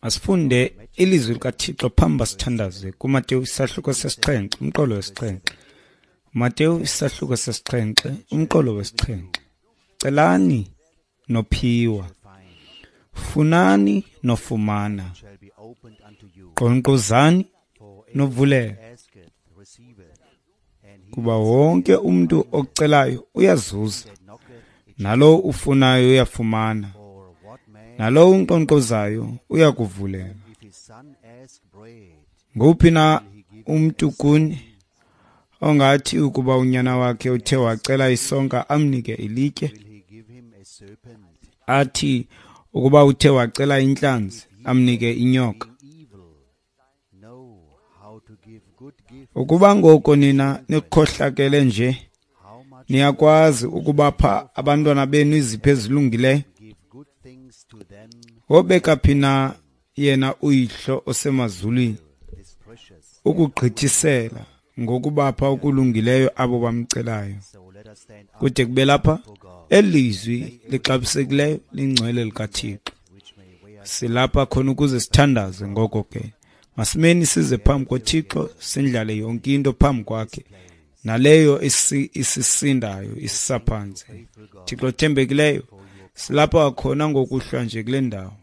Masifunde ilizwi likaThixo phambi sithandaze kuMateyu isahluko sesixhenxe umqolo wesixhenxe. Mateyu isahluko sesixhenxe umqolo wesixhenxe. Celani nophiwa, funani nofumana, nkqonkqozani novulela, kuba wonke umntu ocelayo uyazuza, nalowo ufunayo uyafumana, nalowo unkqonkqozayo uyakuvulela. Nguphi na umntu kuni ongathi ukuba unyana wakhe uthe wacela isonka amnike ilitye, athi ukuba uthe wacela intlanzi amnike inyoka? Ukuba ngoko nina nikhohlakele nje, niyakwazi ukubapha abantwana benu izipho ezilungileyo, wobeka phi na yena uyihlo osemazulwini ukugqithisela ngokubapha okulungileyo abo bamcelayo? Kude kube lapha elizwi lixabisekileyo lingcwele likaThixo. Silapha khona ukuze sithandaze. Ngoko ke masimeni size phambi koThixo, sindlale yonke into phambi kwakhe, naleyo isisindayo isisaphantsi. Thixo othembekileyo, silapha khona ngokuhlwa nje kule ndawo.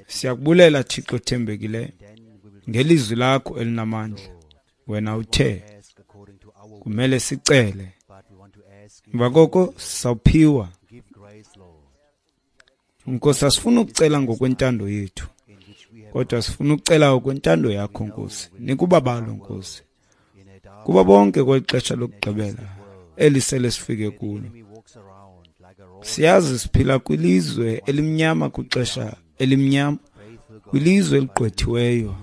Siyakubulela Thixo othembekileyo ngelizwi lakho elinamandla. Wena uthe kumele sicele, emva koko sawuphiwa. Nkosi, asifuna ukucela ngokwentando yethu, kodwa sifuna ukucela ngokwentando yakho Nkosi. Nikubabalo Nkosi, kuba bonke kweli xesha lokugqibela elisele sifike kulo. Siyazi siphila kwilizwe elimnyama, kwixesha elimnyama, kwilizwe eligqwethiweyo,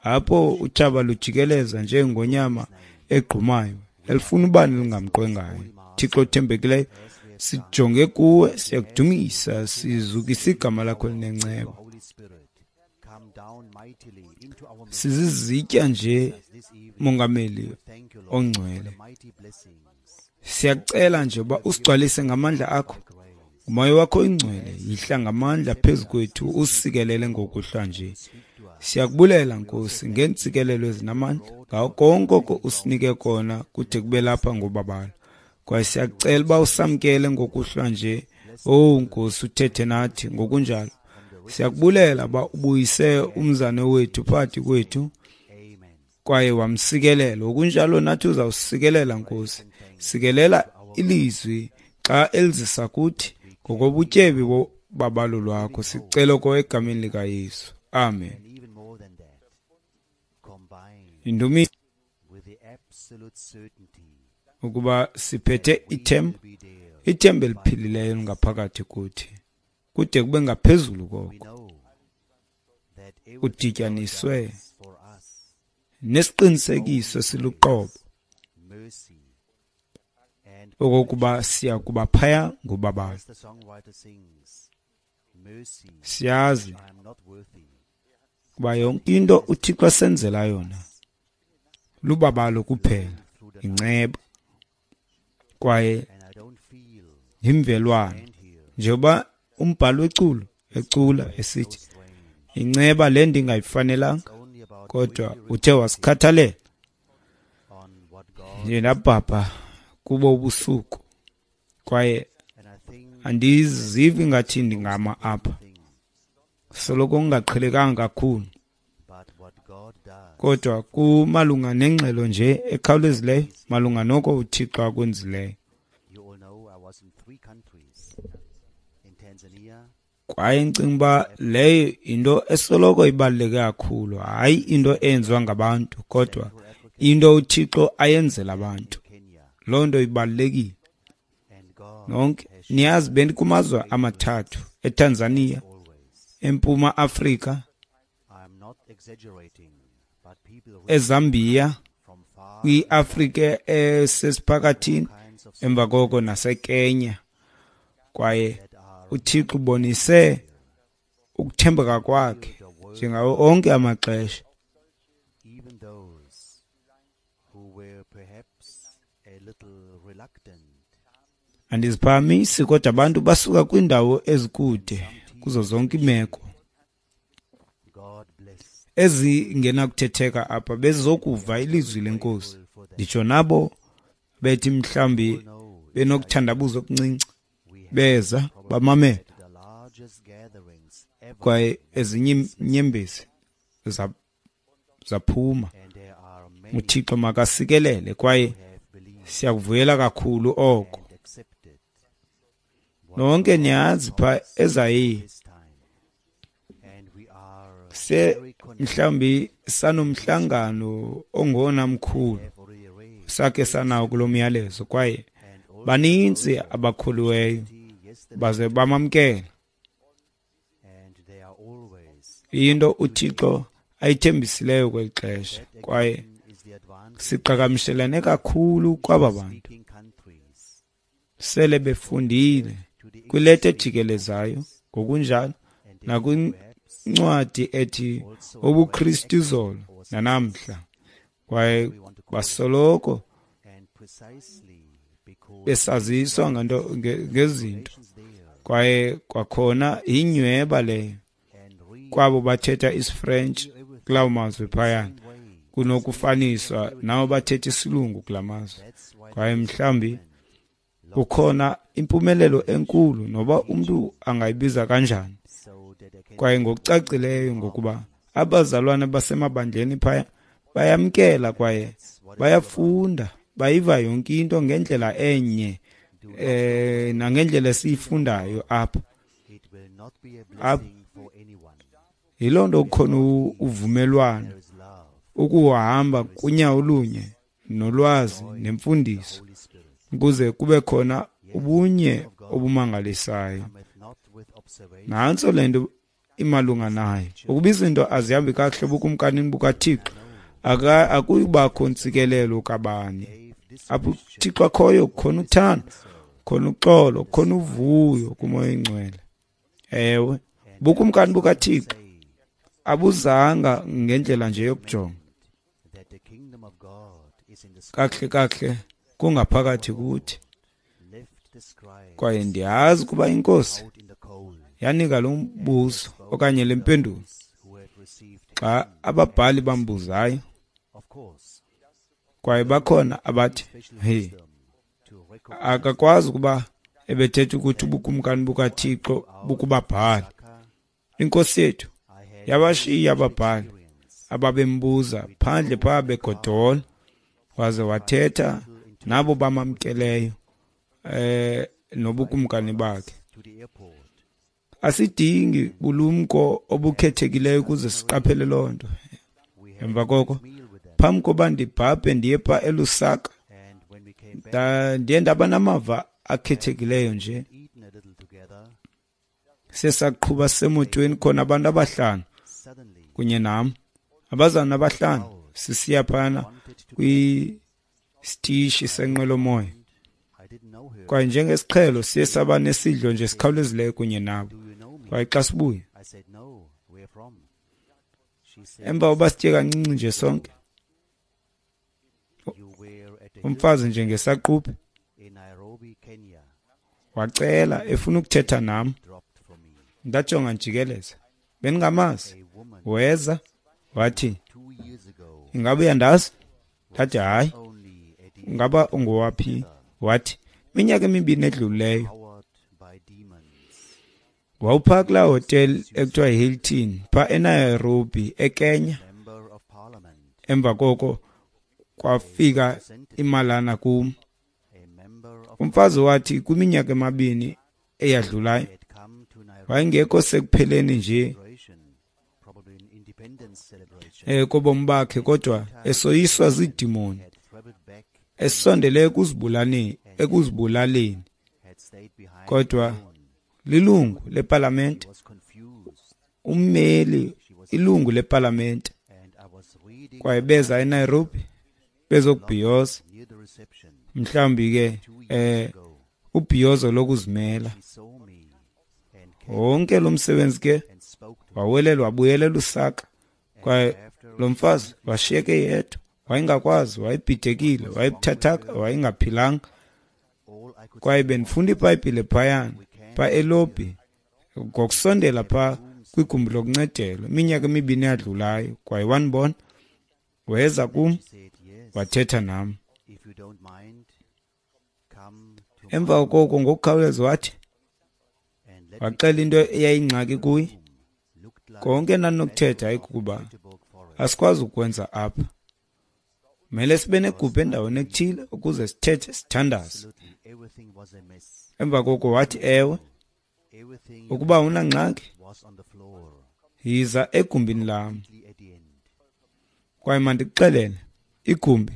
apho utshaba lujikeleza njengonyama egqumayo elifuna ubani lingamqwengayo. Thixo othembekileyo, sijonge kuwe, siyakudumisa, sizukisa igama lakho elinenceba. Sizizitya nje, Mongameli ongcwele, siyacela nje uba usigcwalise ngamandla akho. Umoya wakho oyingcwele yihla ngamandla phezu kwethu, usikelele ngokuhlwa nje. Siyakubulela Nkosi ngeentsikelelo ezinamandla ngawo konke oko usinike kona kude kube lapha ngobabalo. Kwaye siyacela uba usamkele ngokuhlwa nje. Owu Nkosi, uthethe nathi ngokunjalo. Siyakubulela uba ubuyise umzane wethu phakathi kwethu kwaye wamsikelela. Ngokunjalo nathi uzawusikelela Nkosi. Sikelela ilizwi xa elizisa kuthi ngokobutyebi bobabalo lwakho. Sicela oko egameni likaYesu. Amen. Indumiso ukuba siphethe ithemba, ithemba eliphilileyo lingaphakathi kuthi, kude kube ngaphezulu koko udityaniswe nesiqinisekiso esiluqobo okokuba siya kuba phaya ngobabalo. Siyazi kuba yonke into uThixo asenzela yona lubabalo kuphela, inceba kwaye yimvelwano. Njengoba umbhali weculo ecula esithi, inceba le ndingayifanelanga, kodwa uthe wasikhathalela. Ndiye ndabhabha kubo ubusuku kwaye andizivi ngathi ndingama apha, soloko kungaqhelekanga kakhulu, kodwa kumalunga nengxelo nje ekhawulezileyo malunga noko uThixo akwenzileyo. Kwaye ndicinga uba leyo yinto esoloko ibaluleke kakhulu, hayi into eyenziwa ngabantu, kodwa into uThixo ayenzela abantu. Loo nto ibalulekile. Nonke niyazi bendikumazwe amathathu, eTanzania, eMpuma Afrika, eZambia, kwiAfrika esesiphakathini, emva koko naseKenya. Kwaye uThixo ubonise ukuthembeka kwakhe njengawo onke amaxesha. Andiziphakamisi, kodwa abantu basuka kwiindawo ezikude kuzo zonke iimeko ezingenakuthetheka apha bezokuva ilizwi leNkosi. Nditsho nabo bethi mhlawumbi benokuthandabuza okuncinci, beza bamamela, kwaye ezinye iinyembezi zaphuma. UThixo makasikelele, kwaye siyakuvuyela kakhulu oko. Nonke niyazi pha eZayire se mhlawumbi sanomhlangano ongona mkhulu sakhe sanawo kulo myalezo, kwaye baninzi abakholiweyo baze bamamkela into uThixo ayithembisileyo kweli xesha, kwaye siqhagamshelane kakhulu kwaba bantu sele befundile kwileta ejikelezayo ngokunjalo nakwincwadi ethi ubuKristu izolo nanamhla, kwaye basoloko besaziswa ngento ngezinto, kwaye kwakhona inyweba leyo kwabo bathetha isiFrench kulawo mazwe phayana kunokufaniswa nabo bathetha isilungu kula mazwe. Kwaye mhlawumbi kukhona impumelelo enkulu noba umntu angayibiza kanjani, kwaye ngokucacileyo ngokuba abazalwana basemabandleni phaya bayamkela kwaye bayafunda, bayiva yonke into ngendlela enye nangendlela esiyifundayo apha. Yiloo nto kukhona uvumelwano, ukuhamba kunyawo olunye nolwazi nemfundiso, ukuze kube khona ubunye obumangalisayo. Nantso le nto imalunga nayo. Ukuba izinto azihambi kakuhle ebukumkanini bukaThixo, akuyubakho ntsikelelo kabani. Apho uThixo akhoyo kukhona uthando, kukhona uxolo, kukhona uvuyo kuMoya oyiNgcwele. Ewe, ubukumkani bukaThixo abuzanga ngendlela nje yokujonga. Kakuhle kakuhle kungaphakathi kuthi. Kwaye ndiyazi ukuba iNkosi yanika lo mbuzo okanye le mpendulo xa ababhali bambuzayo, kwaye bakhona abathi hey, akakwazi ukuba ebethetha ukuthi ubukumkani bukaThixo bukubabhali. Inkosi yethu yabashiya ababhali ababembuza phandle phaa begodola, waze wathetha nabo bamamkeleyo nobukumkani bakhe. Asidingi bulumko obukhethekileyo ukuze siqaphele loo nto. Emva koko, phambi koba ndibhabhe ndiye phaa eLusaka, ndiye ndaba namava akhethekileyo nje. Sesaqhuba semotweni khona abantu abahlanu kunye nam, abazalwana abahlanu, sisiya phana kwisitishi senqwelomoya. Kwaye njengesiqhelo siye saba nesidlo nje sikhawulezileyo kunye nabo. Kwaye xa sibuya, emva koba sitye kancinci nje sonke, umfazi nje ngesaquphe wacela efuna ukuthetha nam. Ndajonga njikeleza, bendingamazi. Weza wathi, ingaba uyandazi? Ndathi hayi. Ingaba ungowaphi? Wathi, iminyaka emibini edlulileyo wawuphaa kulaa hotel ekuthiwa yiHilton phaa eNairobi eKenya. Emva koko kwafika imalana kum. Umfazi wathi kwiminyaka emibini eyadlulayo wayengekho sekupheleni nje kobomi bakhe, kodwa esoyiswa ziidimoni, esondele ekuzibulaleni, kodwa lilungu lepalamente, ummeli ilungu lepalamente, kwaye beza eNairobi bezokubhiyoza, mhlawumbi ke ubhiyozo lokuzimela. Wonke lo msebenzi ke wawelelwa wabuyela eLusaka, kwaye lo mfazi washiyeke yedwa, wayengakwazi, wayebhidekile, wayebuthathaka, wayengaphilanga. Kwaye bendifunda iBhayibhile phayana, pha elobhi, ngokusondela pha kwigumbi lokuncedelwa, iminyaka emibini eyadlulayo. Kwaye wandibona, weza kum, wathetha nam. Emva koko ngokukhawuleza wathi, waxela into eyayingxaki kuye. Konke endandinokuthetha yayikukuba asikwazi ukwenza apha. Mele sibe negumbi endaweni ethile ukuze sithethe, sithandaze. Emva koko wathi, ewe, ukuba unangxaki, yiza egumbini lam. Kwaye mandikuxelele, igumbi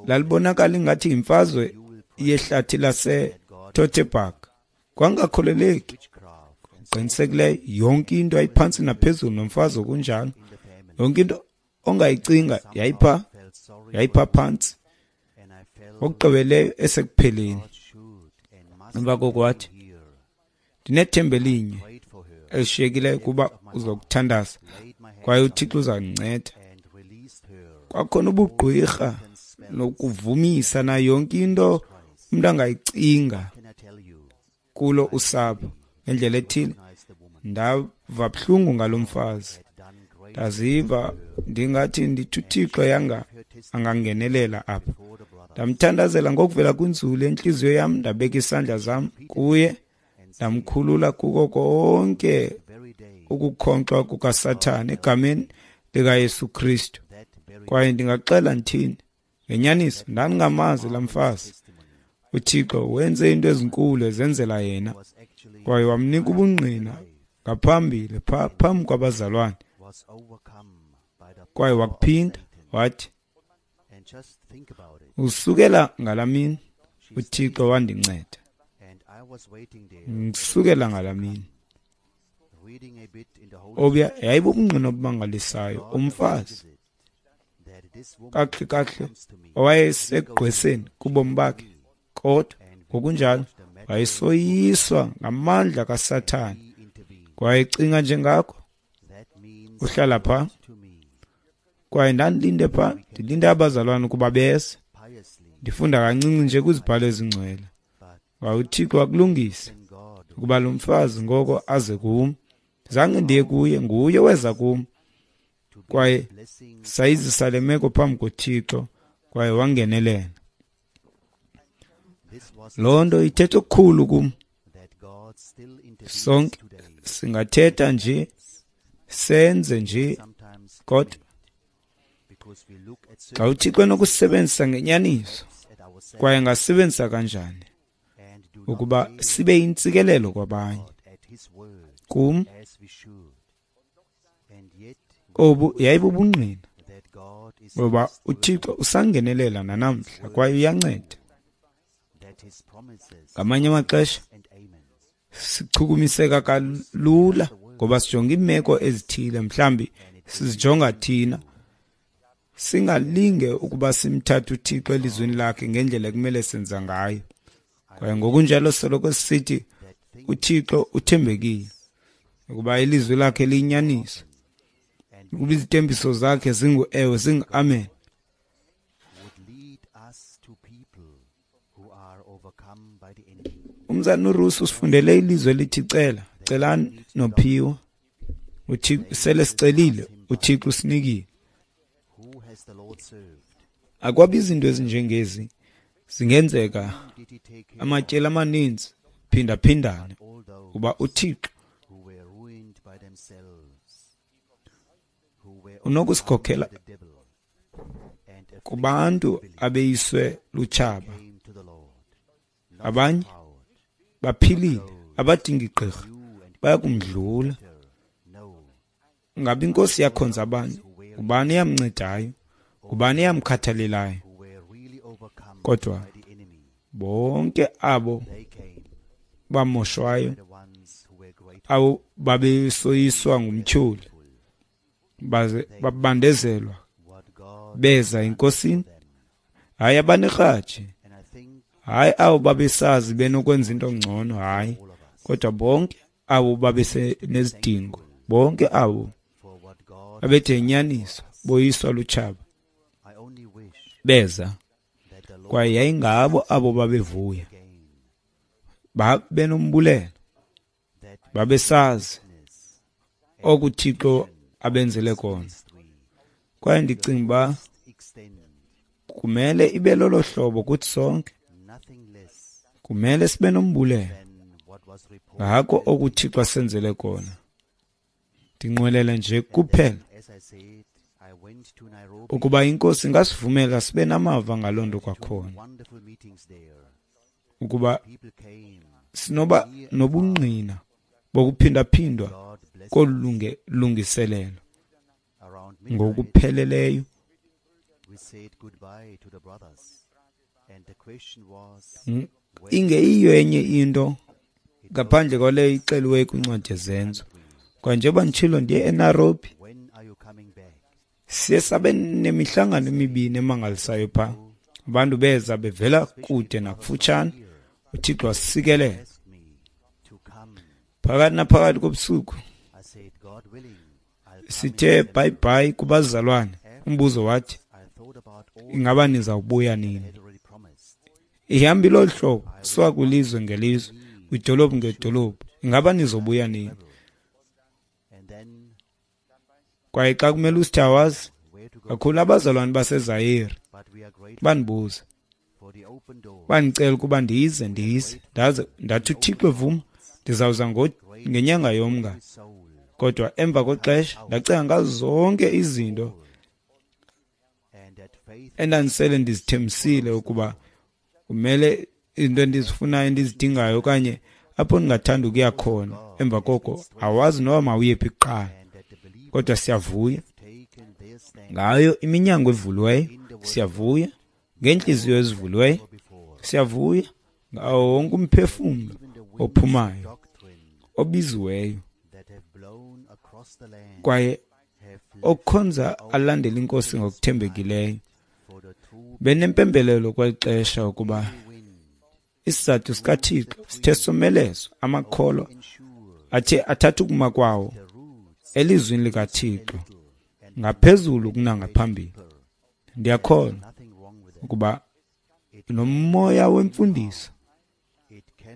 lalibonakala ingathi yimfazwe yehlathi laseTotterburg. Kwangakholeleki. Qinisekileyo, yonke into yayiphantsi naphezulu nomfazi okunjalo. Yonke into ongayicinga yayipha phantsi. Ngokugqibeleyo esekupheleni. Emva koko wathi, ndinethemba elinye elishiyekileyo kuba uzokuthandaza kwaye uThixo uzandinceda. Kwakhona ubugqwirha nokuvumisa nayo yonke into umntu angayicinga kulo usapho. Ngendlela ethile ndava buhlungu ngalo mfazi. Ndaziva ndingathi ndithi uThixo yanga angangenelela apha. Ndamthandazela ngokuvela kwinzulu entliziyo yam, ndabeka isandla zam kuye, ndamkhulula kuko konke ukukhonkxwa kukaSathane egameni likaYesu Kristu. Kwaye ndingaxela ndithini, ngenyaniso ndandingamazi laa mfazi. uThixo wenze into ezinkulu ezenzela yena, kwaye wamnika ubungqina ngaphambili phambi kwabazalwane. Kwaye wakuphinda wathi, usukela ngalaa mini uThixo wandinceda. Ngisukela ngalaa mini. Obuya yayibubungqina obumangalisayo. Umfazi kakuhle kakuhle owayesegqweseni kubomi bakhe, kodwa ngokunjalo wayesoyiswa ngamandla kaSathane. Kwaye ecinga njengakho, uhlala pha. Kwaye ndandilinde pha, ndilinde abazalwane ukuba beze. Ndifunda kancinci nje kwizibhalo ezingcwele. Kwaye uThixo wakulungisa ukuba lo mfazi ngoko aze kum. Zange ndiye kuye, nguye weza kum. Kwaye sayizisa le meko phambi koThixo, kwaye wangenelela. Loo nto ithetha okukhulu kum. Sonke singathetha nje, senze nje, kodwa xa uThixo enokusebenzisa ngenyaniso, kwaye angasebenzisa kanjani ukuba sibe yintsikelelo kwabanye. Kum obu yayibubungqina ngoba uThixo usangenelela nanamhla kwaye uyanceda. Ngamanye amaxesha sichukumiseka kalula ngoba sijonga iimeko ezithile, mhlawumbi sizijonga thina, singalinge ukuba simthathe uThixo elizwini lakhe ngendlela ekumele senza ngayo. Kwaye ngokunjalo soloko sithi uThixo uthembekile, ukuba ilizwi lakhe liyinyaniso, ukuba izithembiso zakhe zingu-ewe, zingu-amen. Umzana uRusi usifundele ilizwi elithi cela, celani nophiwa. uThixo sele sicelile, uThixo usinikile. Akwabi izinto ezinjengezi zingenzeka amatyeli amaninzi phindaphindane, kuba uThixo unokusikhokhela kubantu abeyiswe lutshaba. Abanye baphilile, abadingi gqirha, bayakumdlula. Ngabe inkosi yakhonza abanye, ubani eyamncedayo, ubani eyamkhathalelayo? Kodwa bonke abo bamoshwayo, abo babesoyiswa ngumtyholi, baze babandezelwa, beza enkosini. Hayi abanerhaji, hayi abo babesazi benokwenza into ngcono, hayi, kodwa bonke abo babesenezidingo, bonke abo babethe inyaniso boyiswa lutshaba, beza. Kwaye yayingabo abo babevuya, babenombulelo, babesazi okuThixo abenzele kona. Kwaye ndicinga uba kumele ibe lolo hlobo kuthi sonke. Kumele sibe nombulelo ngako okuThixo asenzele kona. Ndinqwenela nje kuphela ukuba iNkosi ingasivumela sibe namava ngaloo nto kwakhona, ukuba sinoba nobungqina bokuphindaphindwa kolu lungiselelo ngokupheleleyo. Ingeyiyo enye into ngaphandle kwaleyo ixeliweyo kwincwadi yeZenzo. Kwa njengoba nditshilo, ndiye eNairobi. Siye sabe nemihlangano emibini emangalisayo phaa. Abantu beza bevela kude nakufutshane. UThixo wasikelela. Phakathi naphakathi kobusuku sithe bye-bye kubazalwane. Umbuzo wathi, ingaba nizawubuya nini? Ihamba ilolu hlobo, suka kwilizwe ngelizwe, kwidolophu ngedolophu. Ingaba nizobuya nini? Kwaye xa kumele usithi awazi, kakhulu abazalwane baseZaire bandibuza, bandicela ukuba ndize, ndaze ndathi uThixo evuma ndizawuza ngenyanga yoMnga. Kodwa emva kwexesha ndacinga ngazo zonke izinto endandisele ndizithembisile ukuba kumele izinto endizifunayo endizidingayo okanye apho ndingathanda ukuya khona. Emva koko awazi noba mawuyephi kuqala. Kodwa siyavuya ngayo iminyango evuliweyo, siyavuya ngeentliziyo ezivuliweyo, siyavuya ngawo wonke umphefumlo ophumayo obiziweyo kwaye okhonza alandela iNkosi ngokuthembekileyo. Benempembelelo kweli xesha ukuba isizathu sikaThixo sithe somelezwa, amakholwa athe athatha ukuma kwawo elizwini likaThixo ngaphezulu kunangaphambili. Ndiyakholwa ukuba nomoya wemfundiso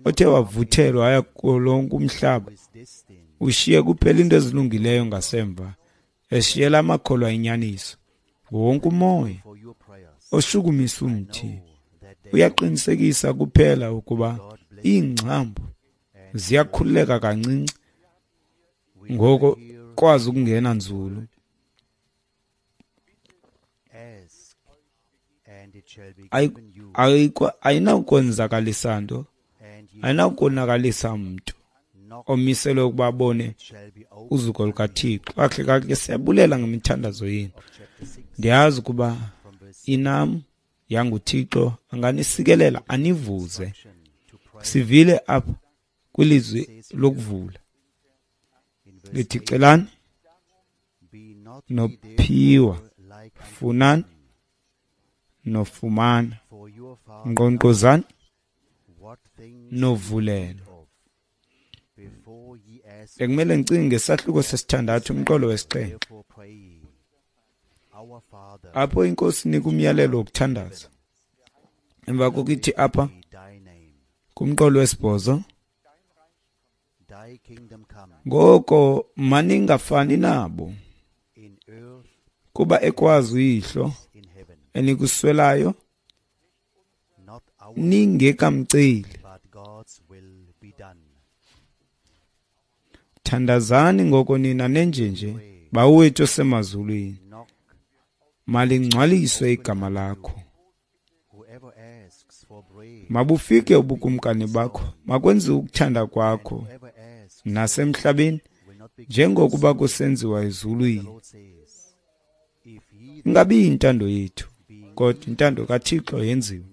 othe wavuthelwa waya kulonke umhlaba ushiye kuphela into ezilungileyo ngasemva, eshiyela amakholwa inyaniso. Wonke umoya oshukumisa umthi uyaqinisekisa kuphela ukuba iingcambu ziyakhululeka kancinci, ngoko kwazi ukungena nzulu. Ayinakukonzakalisa nto, ayinakukonakalisa mntu omiselwe ukuba abone uzuko lukaThixo. Kakuhle kakuhle siyabulela ngemithandazo yenu. Ndiyazi ukuba inam yanguThixo anganisikelela anivuze. Sivile apha kwilizwi lokuvula lithi, celani nophiwa, funani nofumana, nkqonkqozani novulelwa. Bekumele ndicinge ngesahluko sesithandathu umqolo wesixhenxe, apho iNkosi inika umyalelo wokuthandaza. Emva koko ithi apha kumqolo wesibhozo, ngoko maningafani nabo, kuba ekwazi uyihlo enikuswelayo ningekamceli. Thandazani ngoko nina nenjenje, Bawo wethu osemazulwini, malingcwaliswe igama lakho. Mabufike ubukumkani bakho, makwenziwe ukuthanda kwakho nasemhlabeni njengokuba kusenziwa ezulwini. Ingabi intando yethu, kodwa intando kaThixo yenziwe.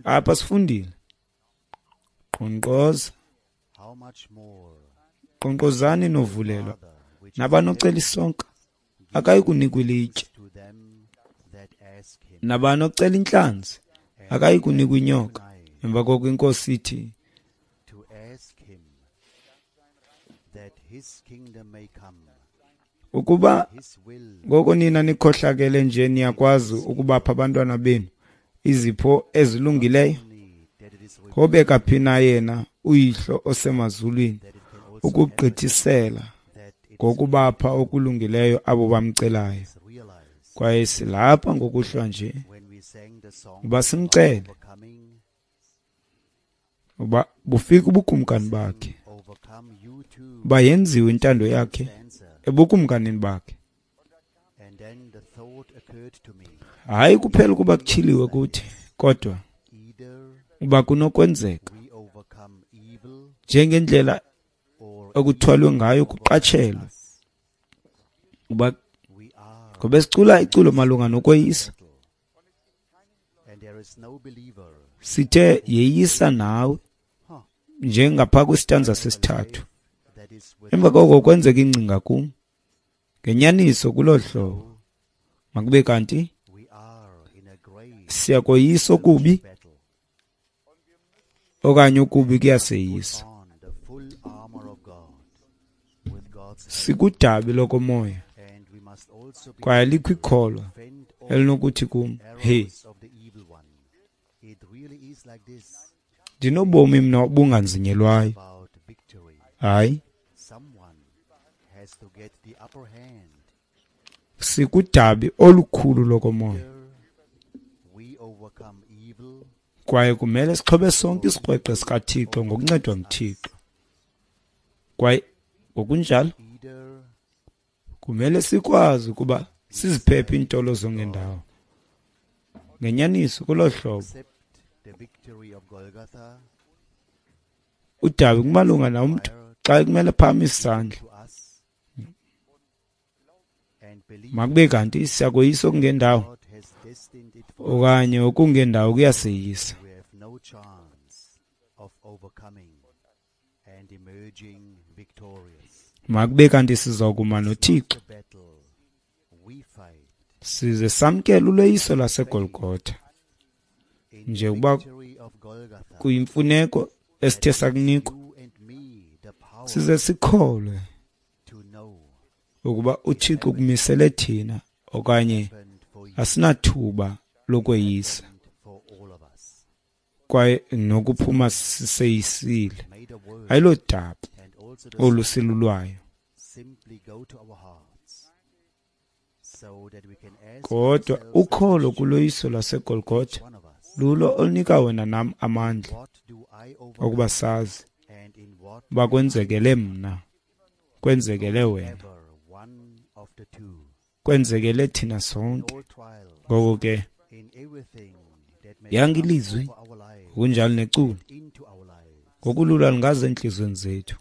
Apha sifundile, nkqonkqoza, nkqonkqozani novulelwa, nabanocela isonka akayi kunikwa ilitye, nabanocela intlanzi akayi kunikwa inyoka. Emva koko iNkosi ithi, Ukuba ngoko nina nikhohlakele nje niyakwazi ukubapha abantwana benu izipho ezilungileyo, wobeka phi na yena uYihlo osemazulwini ukugqithisela ngokubapha okulungileyo abo bamcelayo. Kwaye silapha ngokuhlwa nje uba simcele uba bufike ubukumkani bakhe, uba yenziwe intando yakhe ebukumkanini bakhe. Hayi kuphela ukuba kutyhiliwe kuthi, kodwa uba kunokwenzeka njengendlela ekuthwalwe ngayo kuqatshelwe uba ngoba sicula iculo malunga nokweyisa, sithe yeyisa nawe njengapha kwisitanza sesithathu. Emva koko kwenzeka ingcinga kum ngenyaniso kuloo hlobo, makube kanti siyakoyisa okubi okanye okubi kuyaseyisa. Sikudabi lokomoya, kwaye likho ikholwa elinokuthi kum, hey, ndinobomi mna obunganzinyelwayo. Hayi, sikudabi olukhulu lokomoya, kwaye kumele sixhobe sonke isikrweqe sikaThixo ngokuncedwa nguThixo. Kwaye ngokunjalo kumele sikwazi ukuba siziphephe iintolo zongendawo. Ngenyaniso kuloo hlobo udabi kumalunga nomntu xa kumele phakamise isandla, makube kanti siyakoyisa okungendawo okanye okungendawo kuyaseyisa. Makube kanti sizawukuma noThixo size samkele uloyiso lwaseGolgotha nje ukuba kuyimfuneko esithe sakunikwa, size sikholwe ukuba uThixo ukumisele thina okanye asinathuba lokweyisa kwaye nokuphuma siseyisile. Ayilodaba olusilulwayo, kodwa ukholo kuloyiso lwaseGolgotha lulo olunika wena nam amandla okuba sazi uba kwenzekele mna, kwenzekele wena, kwenzekele thina sonke. Ngoko ke yanke ilizwi ngokunjalo neculo ngokulula lingaze entliziyweni zethu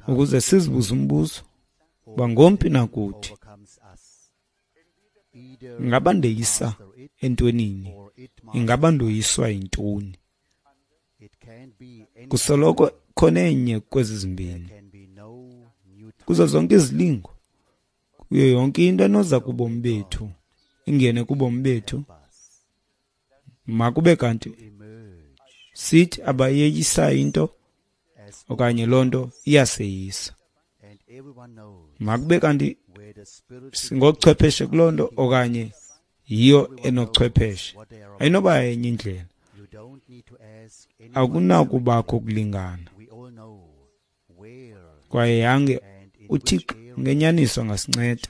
ukuze sizibuze umbuzo uba ngomphi na kuthi ingaba ndeyisa entwenini, ingaba ndoyiswa yintoni. Kusoloko khona enye kwezi zimbini kuzo zonke izilingo, kuyo yonke into enoza kubomi bethu, ingene kubomi bethu, makube kanti sithi abayeyisayo into okanye loo nto iyaseyisa. Makube kanti singochwepheshe kuloo nto okanye yiyo enochwepheshe. Ayinoba yenye indlela, akunakubakho kulingana. Kwaye yange uThixo ngenyaniso angasinceda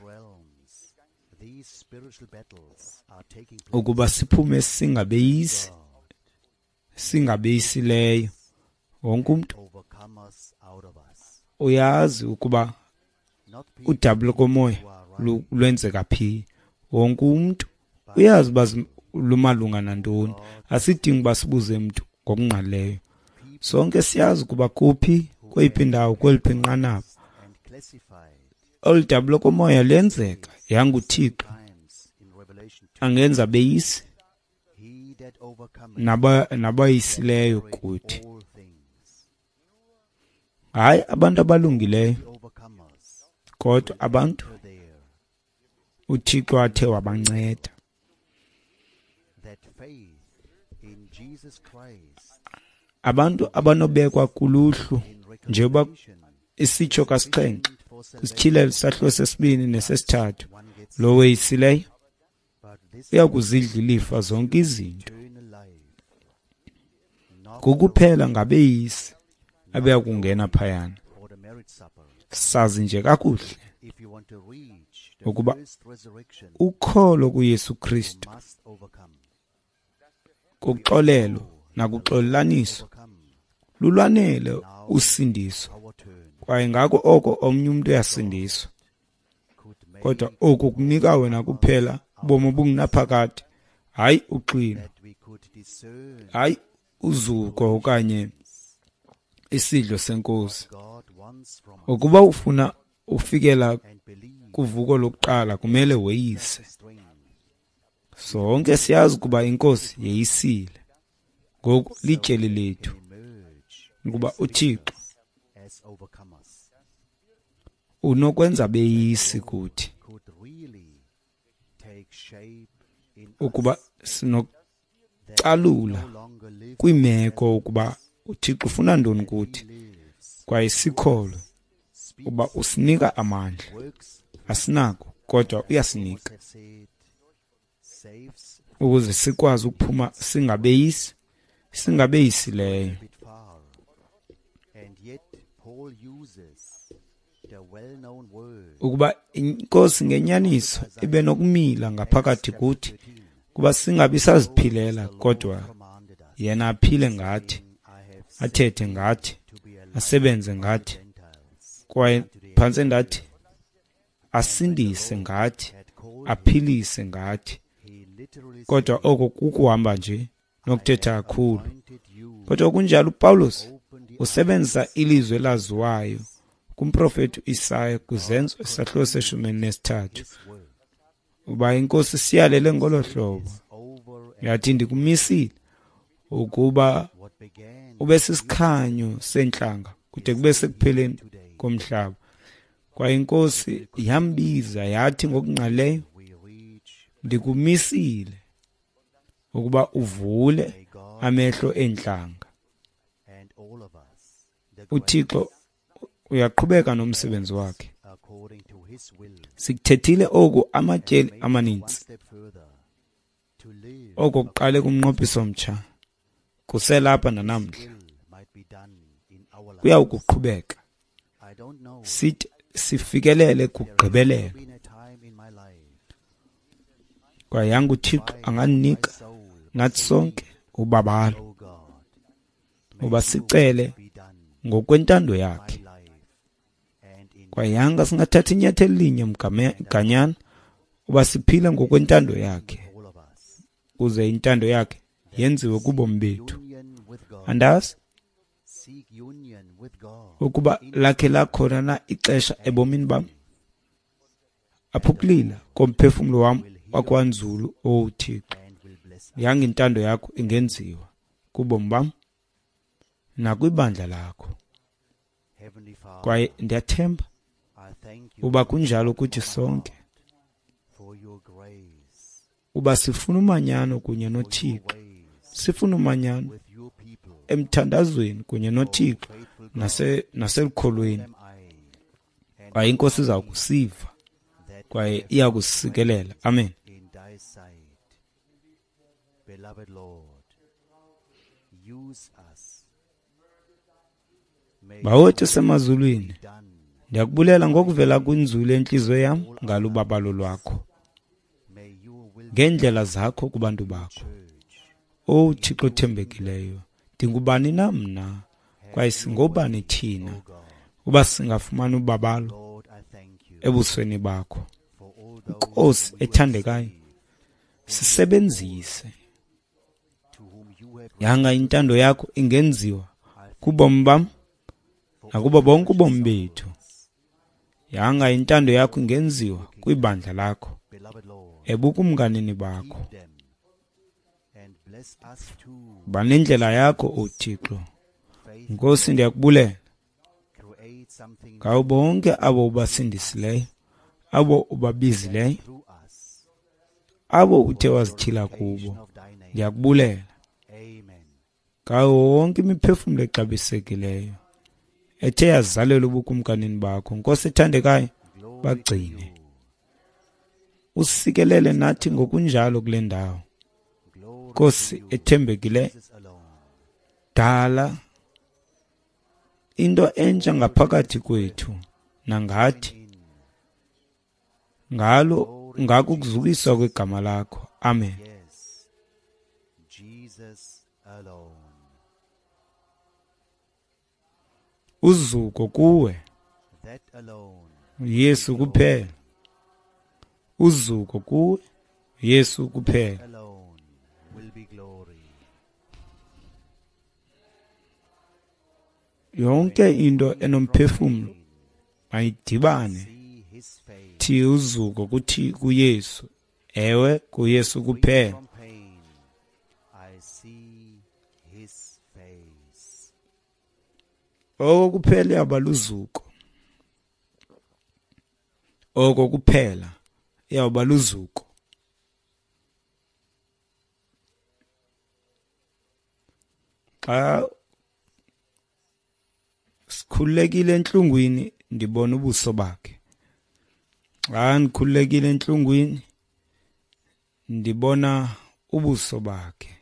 ukuba siphume singabeyisi, singabeyisileyo. Wonke umntu uyazi ukuba udabi lokomoya lwenzeka phi. Wonke umntu uyazi uba lumalunga nantoni. Asidingi uba sibuze mntu ngokungqalileyo. Sonke siyazi ukuba kuphi, kweyiphi indawo, kweliphi inqanaba olu dabi lokomoya luyenzeka. Yange uThixo angenza beyisi nabayisileyo kuthi. Hayi abantu abalungileyo, kodwa abantu uThixo athe wabanceda. Abantu abanobekwa kuluhlu njengoba isitsho kasixhenxe kwisityhilelo sahluko sesibini nesesithathu, lo weyisileyo uya kuzidla ilifa zonke izinto. Ngokuphela ngabeyisi abeya kungena phayana. Sazi nje kakuhle ukuba ukholo kuYesu Kristu kuxolelo nakuxolelaniso lulwanele usindiso, kwaye ngako oko omnye umntu uyasindiswa. Kodwa oku kunika wena kuphela ubomi obungunaphakade, hayi uxwilo, hayi uzuko okanye isidlo senkosi. Ukuba ufuna ufikela kuvuko lokuqala, kumele weyise. Sonke siyazi ukuba inkosi yeyisile. Ngoku lityeli lethu ukuba uThixo unokwenza beyisi kuthi, ukuba sinokucalula kwiimeko ukuba uThixo ufuna ntoni kuthi, kwaye sikholwe uba usinika amandla. Asinako, kodwa uyasinika ukuze sikwazi ukuphuma singabeyisi, singabeyisileyo. Ukuba inkosi ngenyaniso ibe nokumila ngaphakathi kuthi, kuba singabi saziphilela, kodwa yena aphile ngathi, athethe ngathi, asebenze ngathi, kwaye phantse ndathi asindise ngathi, aphilise ngathi. Kodwa oko kukuhamba nje nokuthetha kakhulu. Kodwa kunjalo uPawulos usebenzisa ilizwi elaziwayo kumprofeti uIsaya kwiZenzo isahluko se-13, uba inkosi siyalele ngolo hlobo, yathi ndikumisile ukuba ube sisikhanyo seentlanga kude kube sekupheleni komhlaba. Kwaye inkosi yambiza yathi ngokungqalileyo, ndikumisile ukuba uvule amehlo eentlanga. uThixo uyaqhubeka nomsebenzi wakhe. Sikuthethile oku amatyeli amaninzi. Oko kuqale kumnqophiso omtsha, kuselapha nanamhla, kuyawukuqhubeka sithi sifikelele kugqibelelo. Kwaye yanga uThixo anganinika nathi sonke ubabalo uba sicele ngokwentando yakhe. Kwaye yanga singathatha inyathelo elinye mganyana uba siphile ngokwentando yakhe, ukuze intando yakhe yenziwe kubomi bethu. Andazi ukuba lakhe lakhona na ixesha ebomini bam apho ukulila komphefumlo wam wakwanzulu, O Thixo, yanga intando yakho ingenziwa kubomi bam nakwibandla lakho. Kwaye ndiyathemba uba kunjalo kuthi sonke, uba sifuna umanyano kunye noThixo, sifuna umanyano emthandazweni kunye noThixo naselukholweni. Kwaye inkosi iza kusiva kwaye iya kusikelela. Amen. Bawethu semazulwini, ndiyakubulela ngokuvela kwinzulu yenhliziyo yam ngalubabalo lwakho, ngeendlela zakho kubantu bakho. O Thixo othembekileyo, ndingubani na mna, kwaye singobani thina, uba singafumana ubabalo ebusweni bakho. Nkosi ethandekayo, sisebenzise. Yanga intando yakho ingenziwa kubomi bam nakubo bonke ubomi bethu. Yanga intando yakho ingenziwa kwibandla lakho, ebukumkanini bakho. Banendlela yakho, O Thixo. Nkosi, ndiyakubulela ngawo bonke abo ubasindisileyo, abo ubabizileyo, abo uthe wazityhila kubo. Ndiyakubulela ngawo wonke imiphefumlo exabisekileyo ethe yazalelwa ubukumkanini bakho. Nkosi ethandekayo, bagcine, usikelele nathi ngokunjalo kule ndawo. Nkosi ethembekileyo, dala into entsha ngaphakathi kwethu nangathi, ngalo ngako ukuzukiswa kwegama lakho. Amen. Uzuko kuwe, Yesu kuphela. Uzuko kuwe, Yesu kuphela. Yonke into enomphefumlo mayidibane thi uzuko kuthi kuYesu. Ewe, kuYesu kuphela. Oko kuphela iyawuba luzuko. Oko kuphela iyawuba luzuko. Xa sikhululekile entlungwini, ndibona ubuso bakhe. Xa ndikhululekile entlungwini, ndibona ubuso bakhe.